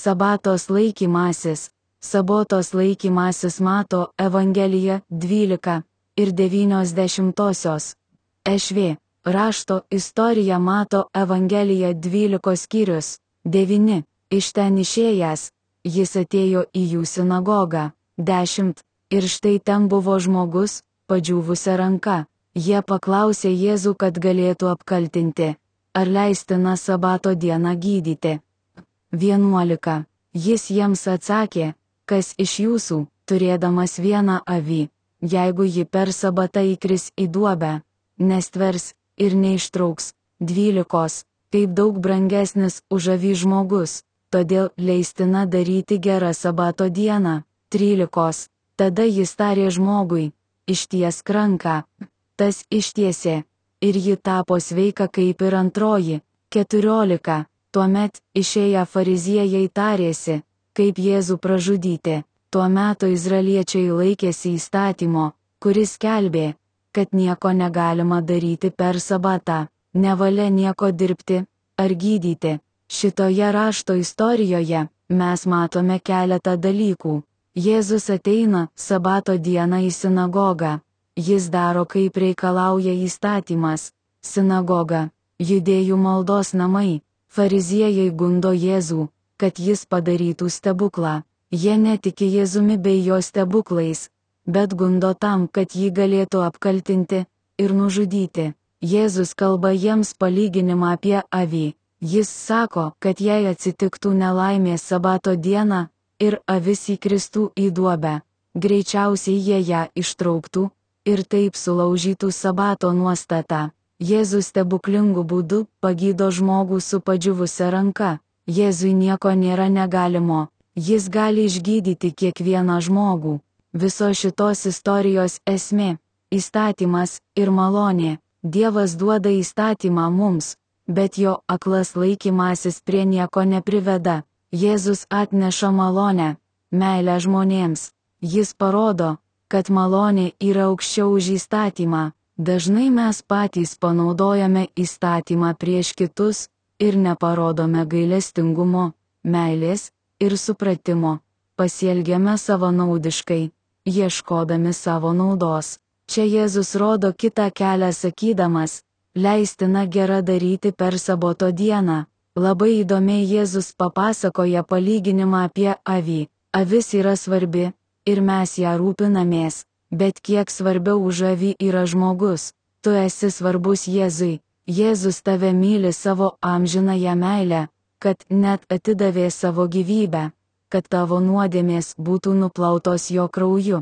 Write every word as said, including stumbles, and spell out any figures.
Sabatos laikymasis. Sabatos laikymasis Mato Evangelija dvylika ir devynios dešimtosios. Ešv. Rašto istorija Mato Evangelija dvylikos skyrius. devyni. Iš ten išėjęs, jis atėjo į jų sinagogą. dešimt. Ir štai ten buvo žmogus, padžiūvusia ranka. Jie paklausė Jėzų, kad galėtų apkaltinti, ar leistina sabato dieną gydyti. vienuolika. Jis jiems atsakė, kas iš jūsų, turėdamas vieną avį, jeigu ji per sabatą įkris į duobę, nestvers ir neištrauks. dvylikos. Kaip daug brangesnis už avį žmogus, todėl leistina daryti gerą sabato dieną. trylikos. Tada jis tarė žmogui, ištiesk ranką. Tas ištiesė, ir ji tapo sveika kaip ir antroji. keturiolika. Tuomet išėję fariziejai tarėsi, kaip Jėzų pražudyti. Tuo metu izraeliečiai laikėsi įstatymo, kuris skelbė, kad nieko negalima daryti per sabatą, nevalia nieko dirbti ar gydyti. Šitoje rašto istorijoje mes matome keletą dalykų. Jėzus ateina sabato dieną į sinagogą. Jis daro, kaip reikalauja įstatymas. Sinagoga, judėjų maldos namai. Fariziejai gundo Jėzų, kad jis padarytų stebuklą. Jie netiki Jėzumi bei jo stebuklais, bet gundo tam, kad jį galėtų apkaltinti ir nužudyti. Jėzus kalba jiems palyginimą apie avį. Jis sako, kad jei atsitiktų nelaimė sabato dieną ir avis įkristų į duobę, greičiausiai jie ją ištrauktų ir taip sulaužytų sabato nuostatą. Jėzus stebuklingų būdų pagydo žmogų su padžiūvusia ranka. Jėzui nieko nėra negalimo. Jis gali išgydyti kiekvieną žmogų. Viso šitos istorijos esmė - įstatymas ir malonė. Dievas duoda įstatymą mums, bet jo aklas laikymasis prie nieko nepriveda. Jėzus atneša malonę, meilę žmonėms. Jis parodo, kad malonė yra aukščiau už įstatymą. Dažnai mes patys panaudojame įstatymą prieš kitus ir neparodome gailestingumo, meilės ir supratimo. Pasielgiame savanaudiškai, ieškodami savo naudos. Čia Jėzus rodo kitą kelią sakydamas, leistina gera daryti per sabato dieną. Labai įdomiai Jėzus papasakoja palyginimą apie avį. Avis yra svarbi ir mes ją rūpinamės, bet kiek svarbiau už avį yra žmogus. Tu esi svarbus Jėzui. Jėzus tave myli savo amžinąją meilę, kad net atidavė savo gyvybę, kad tavo nuodėmės būtų nuplautos jo krauju.